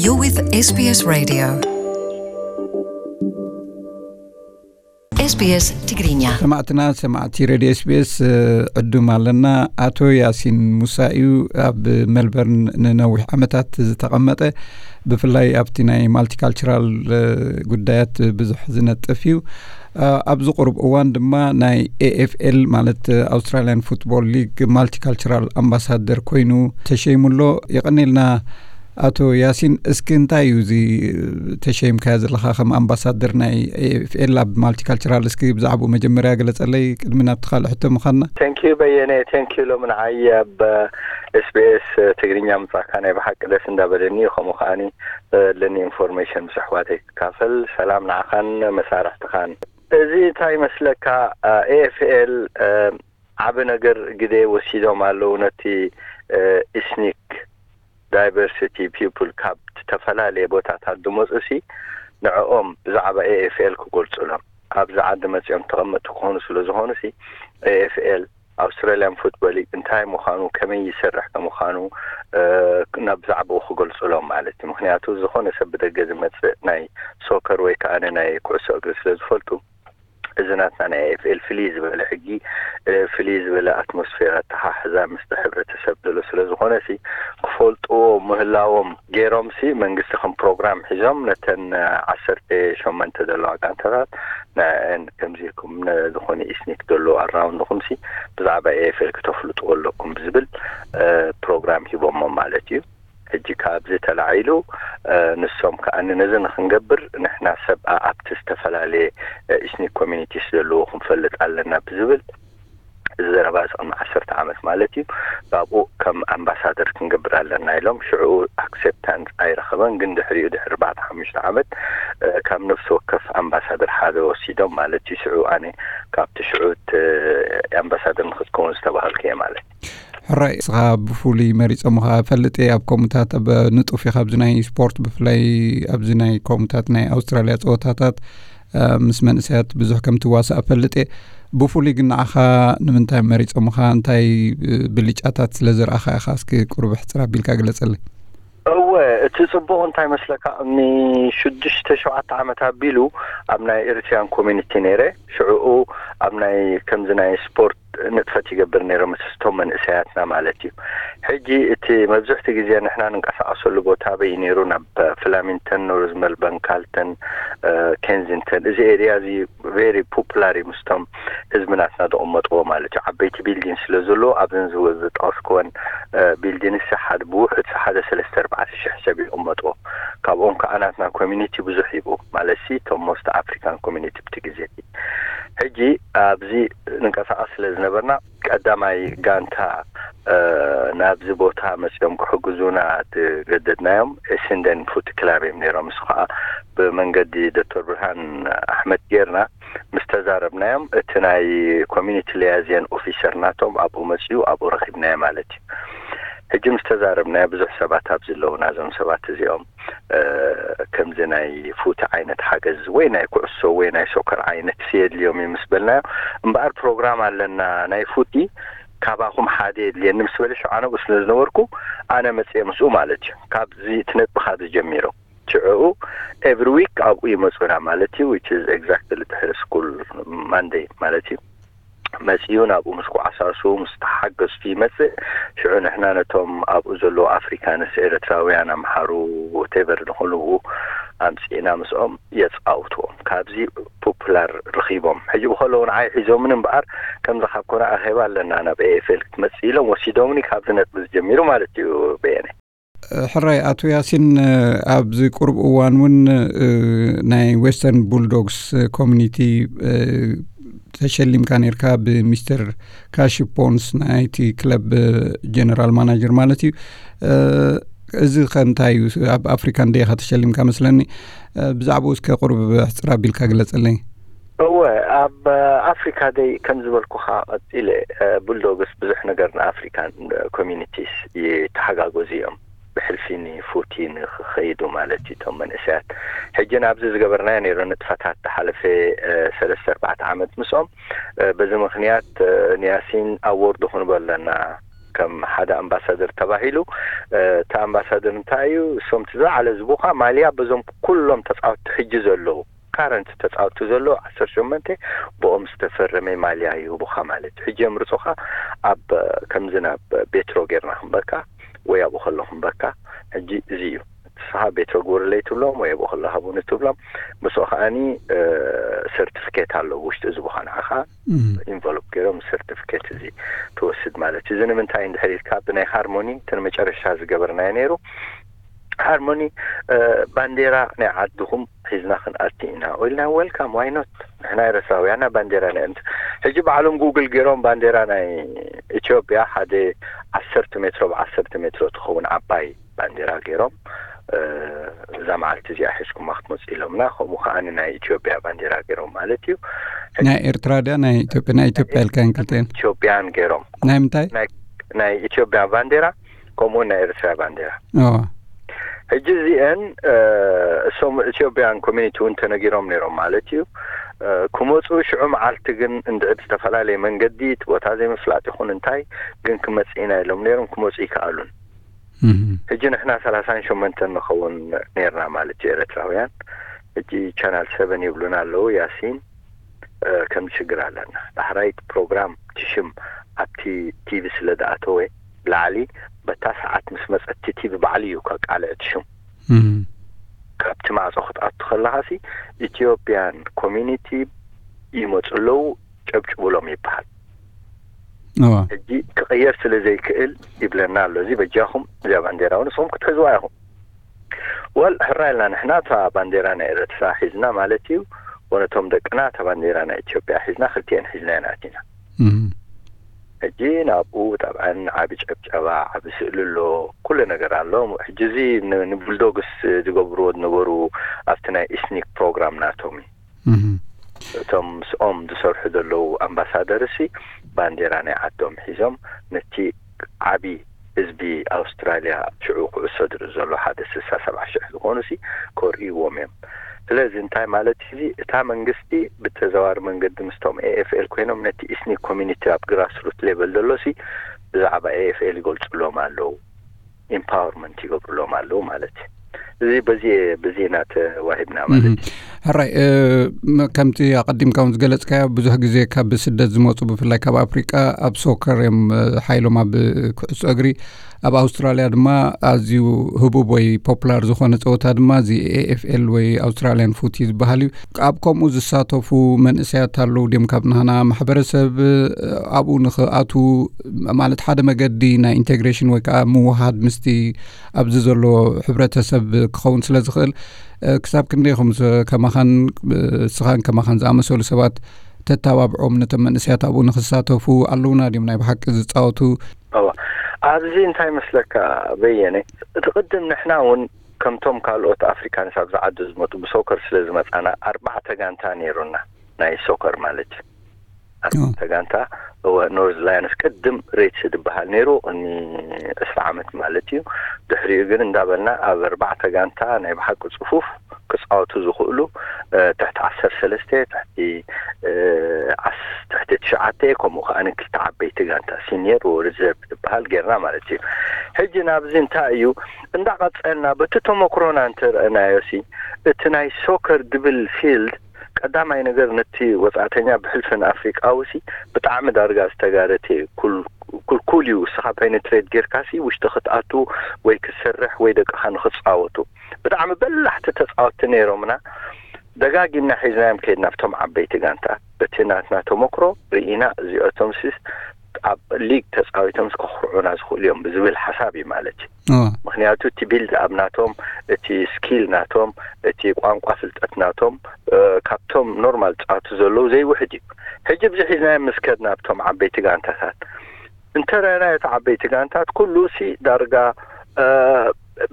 You're with S B S Radio. S B S ትግርኛ። ሰማዕትና፣ ሰማዕቲ ሬድዮ ኤስ ቢ ኤስ፣ እ፣ ዕዱም ኣለና። ኣቶ ያሲን ሙሳ እዩ፣ ኣብ ሜልበርን ንነዊሕ ዓመታት ዝተቐመጠ፣ ብፍላይ ኣብቲ ናይ ማልቲካልቸራል፣ እ፣ ጉዳያት ብዙሕ ዝነጥፍ እዩ። እ፣ ኣብዚ ቁሩብ እዋን ድማ ናይ ኤ ኤፍ ኤል፣ ማለት ኣውስትራሊያን ፉትቦል ሊግ፣ ማልቲካልቸራል ኣምባሳደር ኮይኑ ተሸይሙ ኣሎ። የቐኔልና ኣቶ ያሲን፣ እስኪ እንታይ እዩ እዚ ተሸይምካዮ ዘለኻ ከም ኣምባሳደር ናይ ኤ ኤፍ ኤል ኣብ ማልቲካልቸራል? እስኪ ብዛዕባኡ መጀመርያ ገለጸለይ፣ ቅድሚ ናብቲ ካልእ ሕቶ ምኻድና። Thank you በየነ፣ thank you። ሎሚ ንዓይ ኣብ ኤስ ቢ ኤስ ትግርኛ ምጻእካ ናይ ብሓቂ ደስ እንዳበለኒ እዩ። ከምኡ ከኣኒ ዘለኒ ኢንፎርሜሽን ምስ ኣሕዋተይ ክካፈል። ሰላም ንዓኻን መሳርሕትኻን። እዚ እንታይ ይመስለካ፣ ኤ ኤፍ ኤል ዓቢ ነገር ግደ ወሲዶም ኣለዉ ነቲ፣ እ፣ ኢስኒክ ዳይቨርሲቲ ፒፕል ካብ ዝተፈላለየ ቦታታት ዝመጹ ሲ ንዕኦም ብዛዕባ ኤ ኤፍ ኤል ክገልጹሎም ኣብዚ ዓዲ መጺኦም ተቐመጥቲ ክኾኑ ስለ ዝኾኑ ሲ ኤ ኤፍ ኤል ኣውስትራሊያን ፉትቦል ሊግ እንታይ ምዃኑ፣ ከመይ ይሰርሕ ከም ምዃኑ፣ እ፣ ናብ ብዛዕባኡ ክገልጹሎም ማለት እዩ። ምኽንያቱ ዝኾነ ሰብ ብደገ ዝመጽእ ናይ ሶከር ወይ ከኣ ናይ ኩዕሶ እግሪ ስለ ዝፈልጡ፣ እዚ ናትና ናይ ኤፍ ኤል ፍልይ ዝበለ ሕጊ፣ እ፣ ፍልይ ዝበለ ኣትሞስፌር ኣተሓሕዛ ምስቲ ሕብረተሰብ ዘሎ ስለ ዝኾነ ሲ ክፈልጥዎ ምህላዎም ገይሮም ሲ መንግስቲ ከም ፕሮግራም ሒዞም ነተን ዓሰርተ ሸሞንተ ዘለዋ ጋንታታት ንዕን ከምዚ ኢልኩም ነ-፣ ዝኾነ ኢስኒክ ዘሎ ኣራውንድኹም ሲ ብዛዕባ ኤፍ ኤል ክተፍልጥዎ ኣለኩም ብዝብል፣ እ፣ ፕሮግራም ሂቦሞም ማለት እዩ። ሕጂ ካብዚ ተላዒሉ፣ እ፣ ንሶም ከኣ ነዚ ንኽንገብር ንሕና ሰብ ኣብቲ ዝተፈላለየ፣ እ፣ ኢስኒክ ኮሚኒቲስ ዘለዎ ክንፈልጥ ኣለና ብዝብል እዚ ዘረባ እዚ ቅድሚ ዓሰርተ ዓመት ማለት እዩ። ካብኡ ከም ኣምባሳደር ክንገብር ኣለና ኢሎም ሽዑ ኣክሴፕታንስ ኣይረኸበን። ግን ድሕሪኡ ድሕሪ ኣርባዕተ ሓሙሽተ ዓመት፣ እ፣ ካብ ነፍሲ ወከፍ ኣምባሳደር ሓደ ወሲዶም ማለት እዩ። ሽዑ ኣነ ካብቲ ሽዑ እቲ ኣምባሳደር ንኽትከውን ዝተባሃልኩ እየ ማለት እዩ። ሕራይ፣ ንስኻ ብፍሉይ መሪጾምኻ እፈልጥ እየ። ኣብ ከምኡታት ኣብ ንጡፍ ኢኻ ኣብዚ ናይ ስፖርት፣ ብፍላይ ኣብዚ ናይ ከምኡታት ናይ ኣውስትራልያ ጸወታታት፣ እ፣ ምስ መንእሰያት ብዙሕ ከም ትዋሳእ እፈልጥ እየ። ብፍሉይ ግን ንዓኻ ንምንታይ መሪጾምኻ? እንታይ፣ እ፣ ብልጫታት ስለ ዝረኣኻ ኢኻ? እስኪ ቁሩብ ኣሕጽር ኣቢልካ ግለጸለይ። እወ፣ እቲ ጽቡቕ እንታይ መስለካ፣ ቅድሚ ሽዱሽተ ሸውዓተ ዓመት ኣቢሉ ኣብ ናይ ኤሪትሪያን ኮሚኒቲ ነይረ። ሽዕኡ ኣብ ናይ ከምዚ ናይ ስፖርት ንጥፈት ይገብር ነይረ ምስቶም መንእሰያትና ማለት እዩ። ሕጂ እቲ መብዝሕቲ ግዜ ንሕና ንንቀሳቐሰሉ ቦታ ኣበይ ነይሩ? ናብ ፍላሚንተን፣ ኖርዝ መልበርን፣ ካልተን፣ እ፣ ኬንዚንተን፣ እዚ ኤሪያ እዚ ቬሪ ፖፑላር እዩ ምስቶም ህዝቢ ናትና ዝቕመጥዎ ማለት እዩ። ዓበይቲ ቢልዲን ስለ ዘለዎ ኣብዘን ዝወ-፣ ዝጠቐስክወን፣ እ፣ ቢልዲንስ ሓደ ብውሑድ ሓደ ሰለስተ ኣርባዕተ ሽሕ ሰብ ይቕመጥዎ። ካብኦም ከዓ ናትና ኮሚኒቲ ብዙሕ ይብኡ ማለት ሲ እቶም ሞስት ኣፍሪካን ኮሚኒቲ ብቲ ግዜ እቲ። ሕጂ ኣብዚ ንንቀሳቐስ ስለ ዝነበርና ቀዳማይ ጋንታ፣ እ፣ ናብዚ ቦታ መፅኦም ክሕግዙና ዝገደድናዮም ኤሲንደን ፉት ክላብ እዮም ነይሮም። እሱ ከዓ ብመንገዲ ዶክተር ብርሃን ኣሕመድ ጌርና ምስ ተዛረብናዮም፣ እቲ ናይ ኮሚኒቲ ሊያዚየን ኦፊሰር ናቶም ኣብኡ መፅኡ፣ ኣብኡ ረኺብናዮ ማለት እዩ። ሕጂ ምስ ተዛረብናዮ፣ ብዙሕ ሰባት ኣብዚ ኣለዉ፣ ናዞም ሰባት እዚኦም፣ እ፣ ከምዚ ናይ ፉቲ ዓይነት ሓገዝ ወይ ናይ ኩዕሶ ወይ ናይ ሶከር ዓይነት የድልዮም እዩ ምስ በልናዮ፣ እምበኣር ፕሮግራም ኣለና ናይ ፉቲ፣ ካባኹም ሓደ የድልየኒ ምስ በለ፣ ሽዑ ኣነ ኣብኡ ስለ ዝነበርኩ፣ ኣነ መፅየ ምስኡ ማለት እዩ። ካብዚ እቲ ነጥቢ ካብዚ ጀሚሮም ሽዑ ኤቭሪ ዊክ ኣብኡ ይመፁና ማለት እዩ፣ which is exactly ድሕሪ ስኩል ማንደይ ማለት እዩ። መፅኡ ናብኡ ምስ ኳዕሳሱ ምስ ተሓገዝቱ ይመፅእ። ሽዑ ንሕና ነቶም ኣብኡ ዘለዉ ኣፍሪካንስ፣ ኤርትራውያን፣ ኣምሓሩ፣ ቴቨር ዝኾኑ ኣምፂእና ምስኦም የፃውትዎም። ካብዚ ፖፑላር ረኺቦም። ሕጂ ብኸለዉ ንዓይ ሒዞምን እምበኣር ከምዚ ካብ ኮነ ኣኼባ ኣለና ናብ ኤ ኤፍ ኤል ክትመፅእ ኢሎም ወሲዶምኒ። ካብዚ ነጥቢ ዝጀሚሩ ማለት እዩ በየነ። ሕራይ ኣቶ ያሲን፣ ኣብዚ ቁሩብ እዋን እውን፣ እ፣ ናይ ዌስተርን ቡልዶግስ ኮሚኒቲ፣ እ፣ ተሸሊምካ ነርካ ብሚስተር ካሺ ፖንስ ናይቲ ክለብ ጀነራል ማናጀር ማለት እዩ። እ፣ እዚ ከ እንታይ እዩ? ኣብ ኣፍሪካ እንደ ኢኻ ተሸሊምካ መስለኒ። እ፣ ብዛዕባኡ እስከ ቁሩብ ሕፅር ኣቢልካ ግለፀለይ። እወ፣ ኣብ ኣፍሪካ ደይ ከም ዝበልኩኻ ቀፂለ፣ እ፣ ቡልዶግስ ብዙሕ ነገር ንኣፍሪካን ኮሚኒቲስ ይተሓጋገዙ እዮም። ብሕልፊ ንፉቲ ንኽኸይዱ ማለት እዩ፣ እቶም መንእሰያት። ሕጂ ናብዚ ዝገበርናዮ ነይሩ ንጥፈታት ዝሓለፈ፣ እ፣ ሰለስተ ኣርባዕተ ዓመት ምስኦም። እ፣ በዚ ምኽንያት፣ እ፣ ንያሲን ኣዎርድ ክንቦ ኣለና፣ ከም ሓደ ኣምባሳደር ተባሂሉ። እቲ ኣምባሳደር እንታይ እዩ? እሶም እቲ ዝለዓለ ዝቡኻ ማልያ በዞም ኩሎም ተፃወትቲ ሕጂ ዘለዉ፣ ካረንት ተፃወትቲ ዘለዉ ዓሰርተ ሸሞንተ ብኦም ዝተፈረመ ማልያ ይህቡኻ ማለት እዩ። ሕጂ የምርፁኻ ኣብ ከምዚ ናብ ቤትሮ ጌርና ክንበካ ወይ ኣብኡ ከሎ ክንበካ። ሕጂ እዚ እዩ። ንስኻ ቤትሮ ግበሩለይ ትብሎም ወይ ኣብኡ ከሎ ሃቡኒ ትብሎም። ምስኡ ከዓኒ ሰርቲፊኬት ኣለዎ ውሽጢ እዚ ቦኻ ንዓኻ ኢንቨሎፕ ገይሮም ሰርቲፊኬት እዚ ትወስድ ማለት እዩ። እዚ ንምንታይ እንድሕር ኢልካ፣ ብናይ ሃርሞኒ እቲ ንመጨረሻ ዝገበርናዮ ነይሩ። ሃርሞኒ ባንዴራ ናይ ዓድኹም ሒዝና ክንኣቲ ኢና ኢልና፣ ዌልካም፣ ዋይ ኖት? ንሕና ኤርትራውያና ባንዴራ ናይ እምት ሕጂ ባዕሎም ጉግል ገይሮም ባንዴራ ናይ ኢትዮጵያ ሓደ ዓሰርተ ሜትሮ ብዓሰርተ ሜትሮ ትኸውን ዓባይ ባንዴራ ገይሮም እዛ መዓልቲ እዚኣ ሒዝኩማ ክትመፁ ኢሎምና። ከምኡ ከዓኒ ናይ ኢትዮጵያ ባንዴራ ገይሮም ማለት እዩ። ናይ ኤርትራ ድያ ናይ ኢትዮጵያ? ናይ ኢትዮጵያ ኢልካን ክልተን ኢትዮጵያን ገይሮም ናይ ምንታይ? ናይ ኢትዮጵያ ባንዴራ ከምኡ ናይ ኤርትራ ባንዴራ። ሕጂ እዚአን እሶም ኢትዮጵያን ኮሚኒቲ እውን ተነጊሮም ነይሮም ማለት እዩ። ክመፁ ሽዑ መዓልቲ ግን እንድዒ ብዝተፈላለየ መንገዲ እቲ ቦታ ዘይምፍላጥ ይኹን እንታይ ግን ክመፅእ ኢና ኢሎም ነይሮም። ክመፁ ይከኣሉን። ሕጂ ንሕና ሰላሳን ሸሞንተን ንኸውን ነይርና ማለት እዩ ኤርትራውያን። ሕጂ ቻናል ሰቨን ይብሉና ኣለዉ። ያሲን ከም ሽግር ኣለና። ዳሕራይ ፕሮግራም ትሽም ኣብቲ ቲቪ ስለ ዝኣተወ ብላዕሊ በታ ሰዓት ምስ መፀት ቲቪ ባዕሉ እዩ ከቃልዕ ትሽም። ካብቲ ማዕፆ ክትኣቱ ከለኻሲ ኢትዮጵያን ኮሚኒቲ ይመፁ ኣለዉ፣ ጨብጭቡሎም ይበሃል። ሕጂ ክቕየር ስለ ዘይክእል ይብለና ኣሎ። እዚ በጃኹም እዚኣ ባንዴራ እውን ንስኹም ክትሕዝዋ ኢኹም። ወል ሕራ ኢልና ንሕና እታ ባንዴራ ናይ ኤርትራ ሒዝና ማለት እዩ። ወነቶም ደቅና እታ ባንዴራ ናይ ኢትዮጵያ ሒዝና ክልቲኤን ሒዝና ኢና ኣቲና። ሕጂ ናብኡ ጠብዐን ዓቢ ጨብጨባ፣ ዓቢ ስእሊ ኣሎ፣ ኩሉ ነገር ኣሎ። ሕጂ እዚ ንቡልዶግስ ዝገብርዎ ዝነበሩ ኣብቲ ናይ ኢስኒክ ፕሮግራም ናቶም እዩ። እቶም ምስኦም ዝሰርሑ ዘለዉ ኣምባሳደር ሲ ባንዴራ ናይ ዓዶም ሒዞም ነቲ ዓቢ ህዝቢ ኣውስትራልያ ሽዑ ኩዕሶ ዝርኢ ዘሎ ሓደ ስሳ ሰብዓ ሽሕ ዝኾኑ ሲ ከርእይዎም እዮም። ስለዚ እንታይ ማለት እዚ እታ መንግስቲ ብተዘዋሪ መንገዲ ምስቶም ኤኤፍኤል ኮይኖም ነቲ ኢስኒክ ኮሚኒቲ ኣብ ግራስሩት ሌቨል ዘሎ ሲ ብዛዕባ ኤኤፍኤል ይገልፁሎም ኣለዉ። ኢምፓወርመንት ይገብሩሎም ኣለዉ ማለት እዩ። እዚ በዚ በዚ ኢና ተዋሂብና ማለት እዩ። ሕራይ ከምቲ ኣቐዲምካ እውን ዝገለጽካዮ ብዙሕ ግዜ ካብ ስደት ዝመፁ ብፍላይ ካብ ኣፍሪቃ ኣብ ሶከር እዮም ሓይሎም ኣብ ኩዕሶ እግሪ። ኣብ ኣውስትራልያ ድማ ኣዝዩ ህቡብ ወይ ፖፑላር ዝኾነ ፀወታ ድማ እዚ ኤኤፍኤል ወይ ኣውስትራልያን ፉቲ ዝበሃል እዩ። ኣብ ከምኡ ዝሳተፉ መንእሰያት ኣለዉ ድዮም ካብ ናህና ማሕበረሰብ ኣብኡ ንኽኣትዉ ማለት ሓደ መገዲ ናይ ኢንቴግሬሽን ወይ ከዓ ምውሃድ ምስቲ ኣብዚ ዘሎ ሕብረተሰብ ክኸውን ስለ ዝኽእል ክሳብ ክንደይ ኢኹም ከማኻን ስኻን ከማኻን ዝኣመሰሉ ሰባት ተተባብዖም ነቶም መንእሰያት ኣብኡ ንክሳተፉ ኣለውና ድዮም ናይ ብሓቂ ዝፃወቱ? ኣብዚ እንታይ መስለካ በየነ፣ እቲ ቅድም ንሕና እውን ከምቶም ካልኦት ኣፍሪካንስ ኣብዚ ዓዲ ዝመጡ ብሶከር ስለ ዝመፃና ኣርባዕተ ጋንታ ነይሩና፣ ናይ ሶከር ማለት እዩ። ኣርባዕተ ጋንታ። እወ፣ ኖርዝ ላየንስ ቅድም ሬድስ ዝበሃል ነይሩ ቅድሚ ዕስራ ዓመት ማለት እዩ። ድሕሪኡ ግን እንዳበልና ኣብ ኣርባዕተ ጋንታ ናይ ብሓቂ ፅፉፍ ክፃወቱ ዝኽእሉ ትሕቲ ዓሰርተ ሰለስተ፣ ትሕቲ ትሕቲ ትሽዓተ፣ ከምኡ ከዓ ክልተ ዓበይቲ ጋንታ ሲኒየር ሪዘርቭ ዝበሃል ጌርና ማለት እዩ። ሕጂ ናብዚ እንታይ እዩ እንዳቐፀልና በቲ ተመክሮና እንተረእናዮ ሲ እቲ ናይ ሶከር ድብል ፊልድ ቀዳማይ ነገር ነቲ ወፃእተኛ ብሕልፊ ንኣፍሪቃዊ ሲ ብጣዕሚ ዳርጋ ዝተጋረተ እዩ። ኩልኩል እዩ። እስኻ ፔኔትሬት ጌርካ ሲ ውሽጢ ክትኣቱ ወይ ክትሰርሕ ወይ ደቅኻ ንክፃወቱ ብጣዕሚ በላሕቲ ተፃወትቲ ነይሮምና። ደጋጊምና ሒዝናዮም ከይድና ኣብቶም ዓበይቲ ጋንታ በቲ ናትና ተመክሮ ርኢና እዚኦቶም ሲስ ኣብ ሊግ ተፃዊቶም ከኹርዑና ዝኽእሉ እዮም ብዝብል ሓሳብ እዩ ማለት እዩ። ምክንያቱ እቲ ቢልድ ኣብ ናቶም እቲ ስኪል ናቶም እቲ ቋንቋ ፍልጠት ናቶም ካብቶም ኖርማል ፃወቱ ዘለዉ ዘይውሕድ እዩ። ሕጂ ብዚ ሒዝናዮም ምስ ከድና ኣብቶም ዓበይቲ ጋንታታት እንተረኣናዮ እቲ ዓበይቲ ጋንታት ኩሉ ሲ ዳርጋ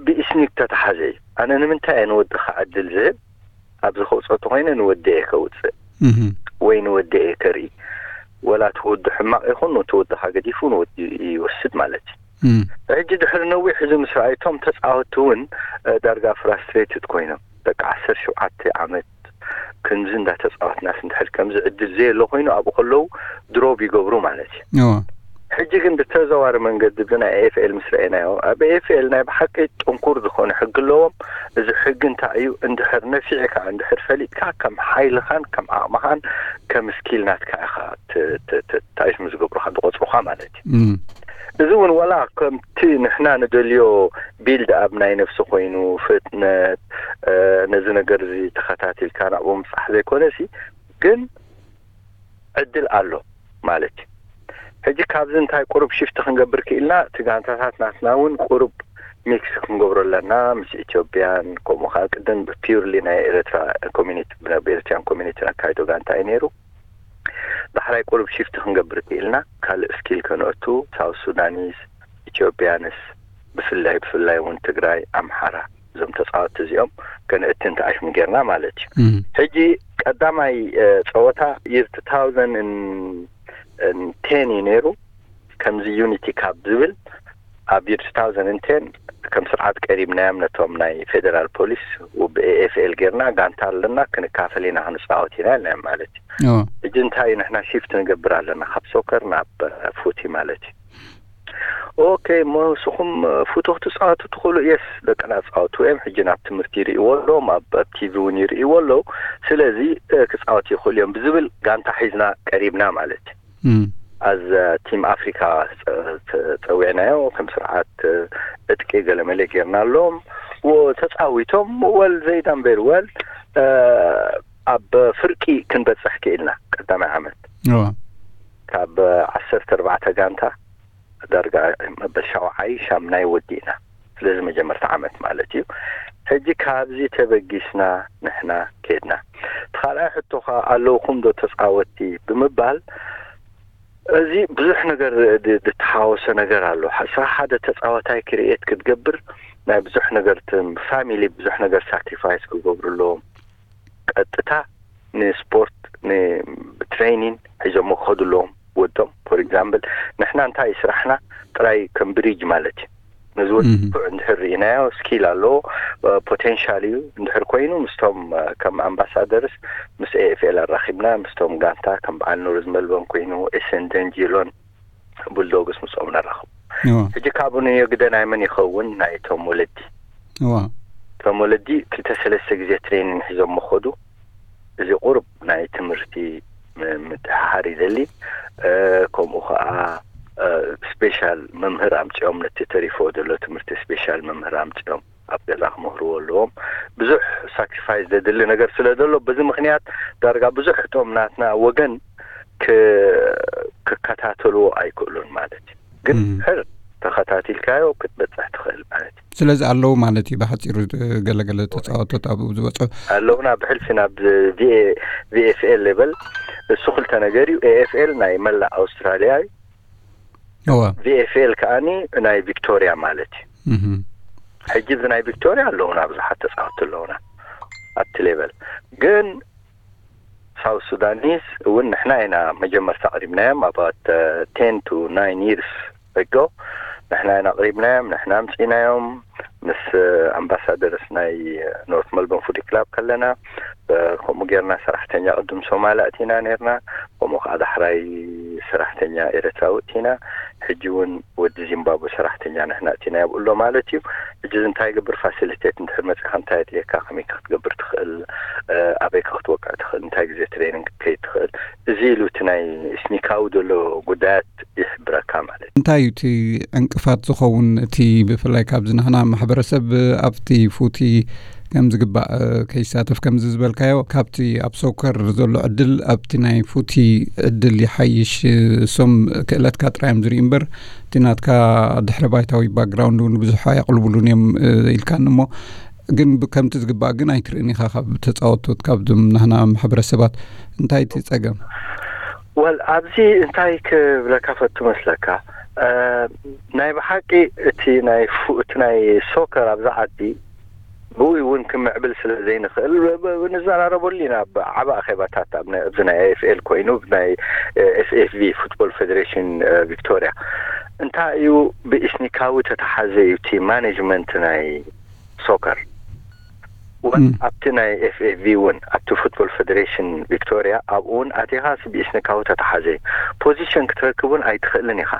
ብኢስኒክ ተተሓዘ እዩ። ኣነ ንምንታይ እየ ንወድኻ ዕድል ዝህብ ኣብዚ ከውፅኦ ተኮይነ ንወዲ እየ ከውፅእ ወይ ንወዲ እየ ከርኢ። ወላ እቲ ወዲ ሕማቕ ይኹን ነቲ ወድኻ ገዲፉ ንወዲ ይወስድ ማለት እዩ። ሕጂ ድሕሪ ነዊሕ እዚ ምስ ረኣይቶም ተፃወትቲ እውን ዳርጋ ፍራስትሬትድ ኮይኖም ደቂ ዓሰርተ ሸውዓተ ዓመት ክንዚ እንዳተፃወትናስ እንድሕር ከምዚ ዕድል ዘየሎ ኮይኑ ኣብኡ ከለዉ ድሮብ ይገብሩ ማለት እዩ። ሕጂ ግን ብተዘዋሪ መንገዲ ብናይ ኤፍኤል ምስ ረአናዮ፣ ኣብ ኤፍኤል ናይ ብሓቂ ጥንኩር ዝኾነ ሕጊ ኣለዎም። እዚ ሕጊ እንታይ እዩ? እንድሕር ነፊዕካ፣ እንድሕር ፈሊጥካ፣ ከም ሓይልኻን ከም ዓቕምኻን ከም ስኪል ናትካ ኢኻ ት- ት- ት- ታይሽ ዝገብሩኻ ዝቆፅሩኻ ማለት እዩ። እዚ እውን ዋላ ከምቲ ንሕና ንደልዮ ቢልድ ኣብ ናይ ነፍሲ ኮይኑ ፍጥነት፣ ነዚ ነገር እዚ ተኸታቲልካ ናብኡ ምብፃሕ ዘይኮነሲ፣ ግን ዕድል ኣሎ ማለት እዩ። ሕጂ ካብዚ እንታይ ቁሩብ ሽፍቲ ክንገብር ክኢልና፣ እቲ ጋንታታት ናትና እውን ቁሩብ ሚክስ ክንገብሮ ኣለና፣ ምስ ኢትዮጵያን ከምኡ ከዓ ቅድም ፒውርሊ ናይ ኤርትራ ኮሚኒቲ፣ ኤርትራን ኮሚኒቲ ኣካይዶ ጋንታ እዩ ነይሩ። ዳሕራይ ቁሩብ ሽፍቲ ክንገብር ክኢልና፣ ካልእ ስኪል ከነእቱ፣ ሳውት ሱዳኒስ፣ ኢትዮጵያንስ፣ ብፍላይ ብፍላይ እውን ትግራይ፣ ኣምሓራ፣ እዞም ተፃወትቲ እዚኦም ከነእቲ እንተኣሽም ጌርና ማለት እዩ። ሕጂ ቀዳማይ ጸወታ ይር two thousand ten እዩ ነይሩ። ከምዚ ዩኒቲ ካብ ዝብል ኣብ ይር two thousand ten ከም ስርዓት ቀሪብናዮም ነቶም ናይ ፌደራል ፖሊስ። ብኤኤፍኤል ጌርና ጋንታ ኣለና፣ ክንካፈል ኢና፣ ክንፃወት ኢና ኢልናዮም ማለት እዩ። ሕጂ እንታይ እዩ ንሕና ሽፍት ንገብር ኣለና ካብ ሶከር ናብ ፉቲ ማለት እዩ። ኦኬ፣ እሞ ንስኹም ፉቶ ክትፃወቱ ትኽእሉ? የስ፣ ደቅና ፃወቱ እዮም። ሕጂ ናብ ትምህርቲ ይርእይዎ ኣለዎም፣ ኣብ ቲቪ እውን ይርእይዎ ኣለዉ። ስለዚ ክፃወቱ ይኽእሉ እዮም ብዝብል ጋንታ ሒዝና ቀሪብና ማለት እዩ። ኣዝ ቲም ኣፍሪካ ፀዊዕናዮ፣ ከም ስርዓት እጥቂ ገለመለ ጌርና ኣለዎም። ተፃዊቶም ወል ዘይዳንበር ወል ኣብ ፍርቂ ክንበፅሕ ክኢልና ቀዳማይ ዓመት ካብ ዓሰርተ ኣርባዕተ ጋንታ ዳርጋ መበል ሻውዓይ ሻምናይ ወዲእና። ስለዚ መጀመርታ ዓመት ማለት እዩ። ሕጂ ካብዚ ተበጊስና ንሕና ከድና። እቲ ካልኣይ ሕቶኻ ኣለውኹም ዶ ተፃወትቲ ብምባል፣ እዚ ብዙሕ ነገር ዝተሓወሰ ነገር ኣሎ። ስራሕ ሓደ ተፃዋታይ ክርኤት ክትገብር ናይ ብዙሕ ነገር ፋሚሊ ብዙሕ ነገር ሳክሪፋይስ ክገብሩ ኣለዎም። ቀጥታ ንስፖርት ንትሬኒን ሒዞሞ ክኸዱ ኣለዎም ወዶም። ፎር ኤግዛምፕል ንሕና እንታይ ስራሕና ጥራይ ከም ብሪጅ ማለት እዩ። ነዚ ወዲ ብቁዕ እንድሕር ርኢናዮ ስኪል ኣለዎ፣ ፖቴንሻል እዩ እንድሕር ኮይኑ ምስቶም ከም ኣምባሳደርስ ምስ ኤኤፍኤል ኣራኺብና ምስቶም ጋንታ ከም በዓል ኑርዝ መልበን ኮይኑ ኤስን ደንጂሎን ቡልዶግስ ምስኦም ነራኽቡ። ሕጂ ካብኡ ንየግደ ናይ መን ይኸውን? ናይ ቶም ወለዲ። ቶም ወለዲ ክልተ ሰለስተ ግዜ ትሬኒን ሒዞም መኸዱ። እዚ ቁሩብ ናይ ትምህርቲ ምድሓር ይደሊ። ከምኡ ከዓ ስፔሻል መምህር ኣምፅኦም ነቲ ተሪፎ ዘሎ ትምህርቲ ስፔሻል መምህር ኣምፅኦም ኣብ ገዛ ክምህርዎ ኣለዎም። ብዙሕ ሳክሪፋይስ ዘድሊ ነገር ስለ ዘሎ በዚ ምክንያት ዳርጋ ብዙሕ እቶም ናትና ወገን ክከታተልዎ ኣይክእሉን ማለት እዩ። ግን ሕር ተኸታቲልካዮ ክትበፅሕ ትኽእል ማለት እዩ። ስለዚ ኣለዉ ማለት እዩ። ብሓፂሩ ገለገለ ተፃወቶት ኣብኡ ዝበፅሑ ኣለውና። ብሕልፊ ናብ ቪኤፍኤል ሌቨል እሱ ክልተ ነገር እዩ። ኤኤፍኤል ናይ መላእ ኣውስትራሊያ እዩ። ቪኤፍኤል ከዓኒ ናይ ቪክቶሪያ ማለት እዩ። ሕጂ እዚ ናይ ቪክቶሪያ ኣለውና ብዙሓት ተፃወትቲ ኣለውና ኣብቲ ሌቨል። ግን ሳውት ሱዳኒስ እውን ንሕና ኢና መጀመርታ ኣቕሪብናዮም። ኣባት ቴን ቱ ናይን ይርስ ኣጎ ንሕና ኢና ኣቕሪብናዮም፣ ንሕና ኣምፂናዮም። ምስ ኣምባሳደርስ ናይ ኖርት መልቦርን ፉቲ ክላብ ከለና ከምኡ ጌርና ሰራሕተኛ ቅድም ሶማል ኣእቲና ነርና። ከምኡ ከዓ ዳሕራይ ሰራሕተኛ ኤረትራዊ እቲና። ሕጂ እውን ወዲ ዚምባብወ ሰራሕተኛ ንሕና እቲና ኣብኡ ኣሎ ማለት እዩ። ሕጂ እዚ እንታይ ይገብር? ፋሲሊቴት እንድሕር መፂኻ እንታይ የድልየካ? ከመይ ክትገብር ትኽእል? ኣበይ ክትወቅዕ ትኽእል? እንታይ ግዜ ትሬኒንግ ክትከይድ ትኽእል? እዚ ኢሉ እቲ ናይ ስኒካዊ ዘሎ ጉዳያት ይሕብረካ ማለት እዩ። እንታይ እዩ እቲ ዕንቅፋት ዝኸውን? እቲ ብፍላይ ካብዚ ናህና ማሕበረሰብ ኣብቲ ፉቲ ከም ዝግባእ ከይሳተፍ ከምዚ ዝበልካዮ ካብቲ ኣብ ሶከር ዘሎ ዕድል ኣብቲ ናይ ፉቲ ዕድል ይሓይሽ። እሶም ክእለትካ ጥራይ እዮም ዝርኢ እምበር እቲ ናትካ ድሕረ ባይታዊ ባክግራውንድ እውን ብዙሕ ኣየቕልቡሉን እዮም ኢልካኒ እሞ ግን ከምቲ ዝግባእ ግን ኣይትርእን ኢኻ ካብ ተፃወቶት ካብዞም ናህና ማሕበረሰባት። እንታይ እቲ ፀገም? ወል ኣብዚ እንታይ ክብለካ ፈቱ መስለካ? ናይ ብሓቂ እቲ ናይ እቲ ናይ ሶከር ኣብዚ ዓዲ ብኡ እውን ክምዕብል ስለ ዘይንኽእል ንዘራረበሉ ኢና። ብዓብ ኣኼባታት ኣብዚ ናይ ኤፍኤል ኮይኑ ናይ ኤፍኤፍቪ ፉትቦል ፌደሬሽን ቪክቶሪያ እንታይ እዩ ብኢስኒካዊ ተተሓዘ እዩ እቲ ማኔጅመንት ናይ ሶከር ወን ኣብቲ ናይ ኤፍኤፍቪ እውን ኣብቲ ፉትቦል ፌደሬሽን ቪክቶሪያ ኣብኡ እውን ኣቲኻ ብኢስኒካዊ ተተሓዘ እዩ። ፖዚሽን ክትረክብ እውን ኣይትኽእልን ኢኻ።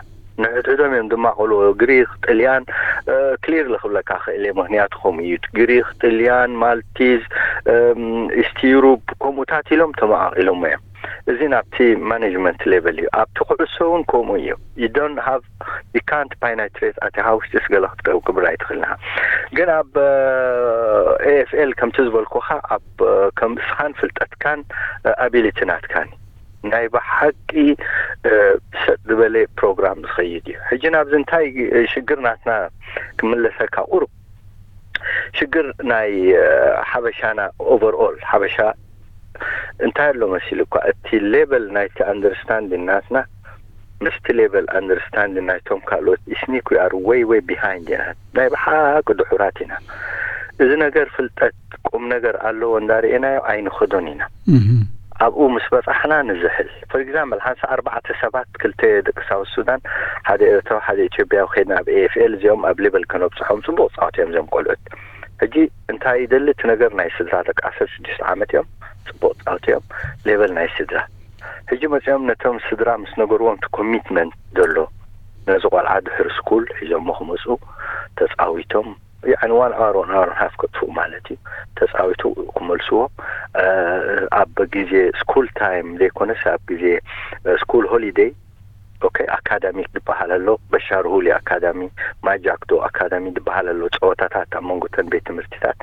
ንሕድሕዶም እዮም ዝማቐልዎ። ግሪክ፣ ጥልያን፣ ክሊርሊ ክብለካ ክእል እየ፣ ምክንያቱ ከምኡ እዩ። ግሪክ፣ ጥልያን፣ ማልቲዝ፣ ኢስት ዩሩፕ ከምኡታት ኢሎም ተመቓቒሎም እዮም። እዚ ናብቲ ማኔጅመንት ሌቨል እዩ። ኣብቲ ኩዕሶ እውን ከምኡ እዩ። You don't have you can't ፓይናትሬት ኣቲኻ ውሽጢ ስገለ ክትገብር ኣይትኽእልና። ግን ኣብ ኤኤፍኤል ከምቲ ዝበልኩኻ ኣብ ከም እስኻን ፍልጠትካን ኣቢሊቲ ናትካን ናይ ብሓቂ ሰጥ ዝበለ ፕሮግራም ዝኸይድ እዩ። ሕጂ ናብዚ እንታይ ሽግር ናትና ክምለሰካ ቁሩብ ሽግር ናይ ሓበሻና ኦቨርኦል ሓበሻ እንታይ ኣሎ መሲሉ እኳ እቲ ሌቨል ናይቲ ኣንደርስታንዲን ናትና ምስቲ ሌቨል ኣንደርስታንዲን ናይቶም ካልኦት ኢስኒክ ዊ ኣር ወይ ወይ ቢሃይንድ ኢና። ናይ ብሓቂ ድሑራት ኢና። እዚ ነገር ፍልጠት ቁም ነገር ኣለዎ እንዳርኤናዮ ኣይንኸዶን ኢና። ኣብኡ ምስ በጻሕና ንዝሕል። ፎር ኤግዛምፕል ሓንሳ ኣርባዕተ ሰባት ክልተ ደቂ ሳውት ሱዳን ሓደ ኤርትራዊ ሓደ ኢትዮጵያዊ ከይድና ኣብ ኤኤፍኤል እዚኦም ኣብ ሌቨል ከነብጽሖም ጽቡቕ ጻወት እዮም እዚኦም ቆልዑት። ሕጂ እንታይ ይደሊ እቲ ነገር ናይ ስድራ ደቂ ዓሰርተ ሽዱሽተ ዓመት እዮም ጽቡቕ ጻወት እዮም ሌቨል ናይ ስድራ። ሕጂ መጺኦም ነቶም ስድራ ምስ ነገርዎም እቲ ኮሚትመንት ዘሎ ነዚ ቆልዓ ድሕሪ ስኩል ሒዞሞ ክመጹ ተጻዊቶም ያኒ ዋን ኣወር ዋን ኣወር ሃፍ ከጥፍኡ ማለት እዩ። ተጻዊቱ ክመልስዎ ኣብ ግዜ ስኩል ታይም ዘይኮነስ ኣብ ግዜ ስኩል ሆሊደይ ኦኬ ኣካዳሚክ ዝበሃል ኣሎ። በሻርሁሊ ኣካዳሚ፣ ማጃክዶ ኣካዳሚ ዝበሃል ኣሎ። ጸወታታት ኣብ መንጎ ተን ቤት ትምህርትታት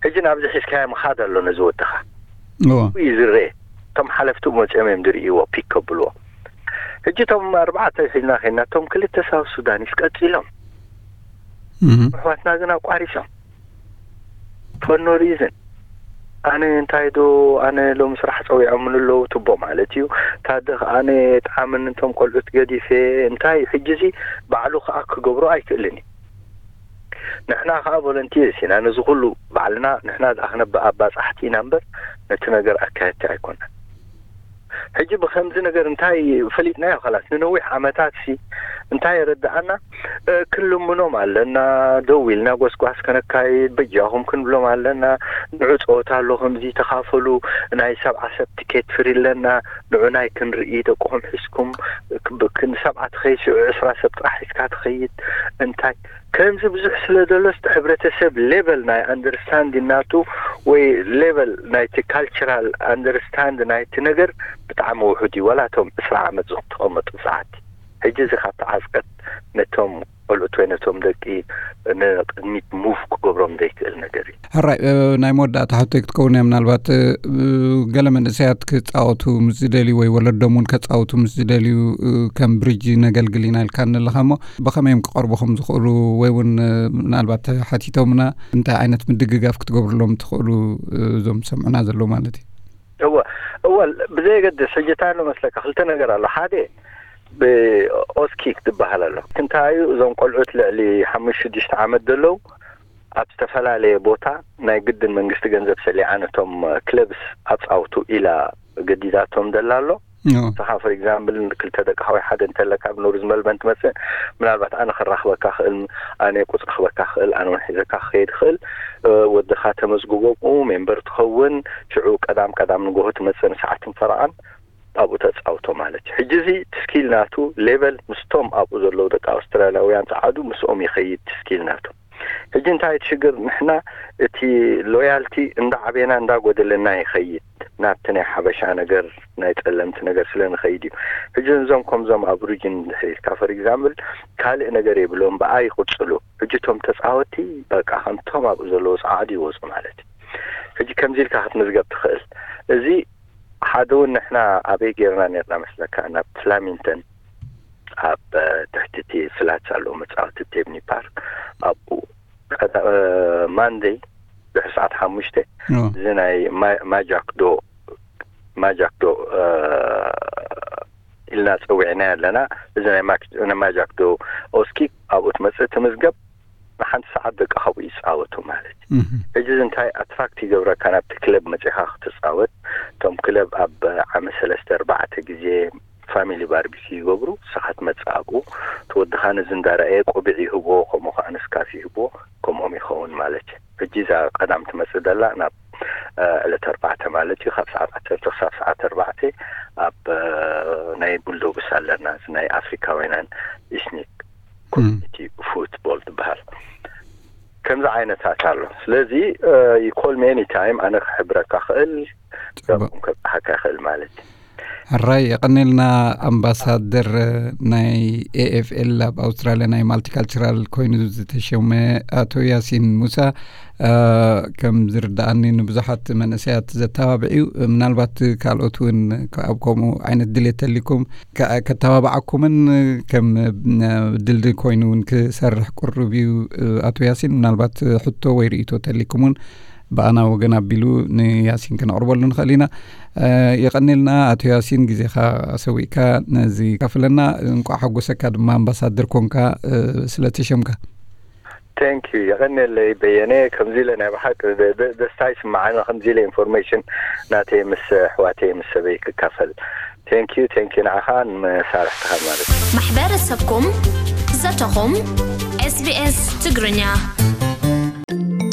ሕጂ ናብዚ ሒዝካዮ ምኻድ ኣሎ ነዚ ወድኻ እዩ ዝረኤ። እቶም ሓለፍቲ መጺኦም እዮም ዝርእይዎ ፒክ ከብልዎ። ሕጂ እቶም ኣርባዕተ ሒዝና ኸይና እቶም ክልተ ሳውት ሱዳኒስ ቀጺሎም ኣሕዋትና ግን ኣቋሪጾም for no reason። ኣነ እንታይ ዶ ኣነ ሎሚ ስራሕ ጸዊዖምኒ ኣለዉ ትቦ ማለት እዩ። ታደ ከኣ ኣነ የጥዓምኒ እቶም ቆልዑት ገዲፈ እንታይ እዩ። ሕጂ እዚ ባዕሉ ከኣ ክገብሮ ኣይክእልን እዩ። ንሕና ከኣ ቮለንቲርስ ኢና ነዚ ኩሉ ባዕልና ንሕና ደኣ ክነብ ኣባጻሕቲ ኢና እምበር ነቲ ነገር ኣካየድቲ ኣይኮናን። ሕጂ ብከምዚ ነገር እንታይ ፈሊጥናዮ? ኸላስ ንነዊሕ ዓመታት ሲ እንታይ የረድኣና? ክንልምኖም ኣለና፣ ደው ኢልና ጎስጓስ ከነካይድ በጃኹም ክንብሎም ኣለና። ንዑ ጸወታ ኣሎ ከምዚ ተኻፈሉ፣ ናይ ሰብዓ ሰብ ቲኬት ፍሪ ኣለና፣ ንዑ ናይ ክንርኢ ደቅኹም ሒዝኩም ንሰብዓ ትኸይድ ሽዑ ዕስራ ሰብ ጥራሕ ሒዝካ ትኸይድ እንታይ ከምዚ ብዙሕ ስለ ዘሎ ስቲ ሕብረተሰብ ሌቨል ናይ ኣንደርስታንድ ናቱ ወይ ሌቨል ናይቲ ካልቸራል ኣንደርስታንድ ናይቲ ነገር ብጣዕሚ ውሑድ እዩ። ዋላ እቶም ዕስራ ዓመት ዝተቐመጡ ሰዓት ሕጂ እዚ ካብ ተዓዝቀት ነቶም ቆልዑት ወይ ነቶም ደቂ ንቅድሚት ሙቭ ክገብሮም ዘይክእል ነገር እዩ። ሕራይ ናይ መወዳእታ ሕቶይ ክትከውን እያ። ምናልባት ገለ መንእሰያት ክጻወቱ ምስ ዝደልዩ ወይ ወለዶም እውን ከጻውቱ ምስ ዝደልዩ ከም ብሪጅ ነገልግል ኢና ኢልካ ንለኻ እሞ ብኸመይ እዮም ክቐርቡ ከም ዝኽእሉ ወይ እውን ምናልባት ሓቲቶምና እንታይ ዓይነት ምድግጋፍ ክትገብርሎም ትኽእሉ እዞም ሰምዑና ዘለዉ ማለት እዩ? እወ እወ ብዘየገድስ ሕጂ እንታይ ኣሎ መስለካ ክልተ ነገር ኣሎ። ሓደ ብኦስኪክ ዝበሃል ኣሎ። እንታይ እዩ እዞም ቆልዑት ልዕሊ ሓሙሽተ ሽዱሽተ ዓመት ዘለዉ ኣብ ዝተፈላለየ ቦታ ናይ ግድን መንግስቲ ገንዘብ ሰሊዓ ነቶም ክለብስ ኣጻውቱ ኢላ ገዲዳቶም ደላ ኣሎ። ንስኻ ፎር ኤግዛምፕል ክልተ ደቅኻ ወይ ሓደ እንተለካ ኣብ ኖርዝ መልበን ትመጽእ ምናልባት ኣነ ክራኽበካ ክእል ኣነ ቁፅሪ ክበካ ክእል ኣነ ውን ሒዘካ ክኸይድ ክእል። ወድኻ ተመዝግቦ ብኡ ሜምበር ትኸውን። ሽዑ ቀዳም ቀዳም ንጎሆ ትመጽእ ንሰዓትን ፈረቓን ኣብኡ ተጻውቶ ማለት እዩ። ሕጂ እዚ ትስኪል ናቱ ሌቨል ምስቶም ኣብኡ ዘለዉ ደቂ ኣውስትራልያውያን ጸዓዱ ምስኦም ይኸይድ ትስኪል ናቱ። ሕጂ እንታይ ትሽግር ንሕና እቲ ሎያልቲ እንዳዓበና እንዳጎደለና ይኸይድ ናብቲ ናይ ሓበሻ ነገር ናይ ጸለምቲ ነገር ስለ ንኸይድ እዩ። ሕጂ እዞም ከምዞም ኣብ ሪጅን ድሕሪትካ ፈር ኤግዛምፕል ካልእ ነገር የብሎም ብኣ ይቕጽሉ። ሕጂ እቶም ተጻወቲ በቃ ከምቶም ኣብኡ ዘለዉ ጸዓዱ ይወጹ ማለት እዩ። ሕጂ ከምዚ ኢልካ ክትምዝገብ ትኽእል። እዚ ሓደ እውን ንሕና ኣበይ ጌርና ኔርና መስለካ ናብ ፍላሚንተን ኣብ ትሕቲ እቲ ፍላትስ ኣለዎ መጻወቲ ቴብኒ ፓርክ ኣብኡ ማንደይ ድሕሪ ሰዓት ሓሙሽተ እዚ ናይ ማጃክዶ ማጃክዶ ኢልና ጸዊዕና ኣለና። እዚ ናይ ማጃክዶ ኦስኪ ኣብኡ ትመጽእ ትምዝገብ ንሓንቲ ሰዓት ደቂ ካብኡ ይጻወቱ ማለት እዩ። ሕጂ እዚ እንታይ ኣትራክት ይገብረካ ናብቲ ክለብ መጺኻ ክትጻወት። እቶም ክለብ ኣብ ዓመት ሰለስተ ኣርባዕተ ግዜ ፋሚሊ ባርቢኪ ይገብሩ። ንስኻ ትመጽእ ኣብኡ እቲ ወድኻ ነዚ እንዳረኣየ ቆቢዕ ይህቦ ከምኡ ከዓ ንስካፍ ይህቦ ከምኦም ይኸውን ማለት እዩ። ሕጂ እዛ ቀዳም ትመጽእ ደላ ናብ ዕለት ኣርባዕተ ማለት እዩ፣ ካብ ሰዓት ዓሰርተ ክሳብ ሰዓት ኣርባዕተ ኣብ ናይ ቡልዶግስ ኣለና፣ እዚ ናይ ኣፍሪካውያን ኢስኒክ ኮሚኒቲ ፉትቦል ዝበሃል። ከምዚ ዓይነታት ኣሎ። ስለዚ ይኮል ሜኒ ታይም ኣነ ክሕብረካ ክእል፣ ም ከብፅሓካ ይኽእል ማለት እዩ። ሕራይ የቐኔልና። ኣምባሳደር ናይ ኤኤፍኤል ኣብ ኣውስትራልያ ናይ ማልቲካልቸራል ኮይኑ ዝተሸመ ኣቶ ያሲን ሙሳ፣ ከም ዝርዳኣኒ ንብዙሓት መንእሰያት ዘተባብዕ እዩ። ምናልባት ካልኦት እውን ኣብ ከምኡ ዓይነት ድሌት ተሊኩም ከተባብዓኩምን ከም ድልድል ኮይኑ እውን ክሰርሕ ቅሩብ እዩ። ኣቶ ያሲን፣ ምናልባት ሕቶ ወይ ርእቶ ተሊኩም እውን ብኣና ወገን ኣቢሉ ንያሲን ክነቕርበሉ ንኽእል ኢና። የቐኔልና ኣቶ ያሲን፣ ግዜኻ ሰዊእካ ነዚ ካፍለና። እንቋዕ ሓጎሰካ ድማ ኣምባሳደር ኮንካ ስለተሸምካ። ቴንክ ዩ። የቐኔለይ በየነ። ከምዚ ኢለ ናይ ብሓቂ ደስታ ይስምዓኒ፣ ከምዚ ኢለ ኢንፎርሜሽን ናተይ ምስ ኣሕዋተይ ምስ ሰበይ ክካፈል። ቴንክ ዩ፣ ቴንክ ዩ ንዓኻ ንመሳርሕትኻ ማለት እዩ። ማሕበረሰብኩም ዘተኹም SBS ትግርኛ።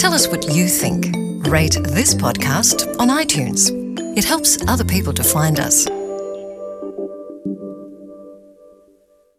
Tell us what you think. Rate this podcast on iTunes. It helps other people to find us.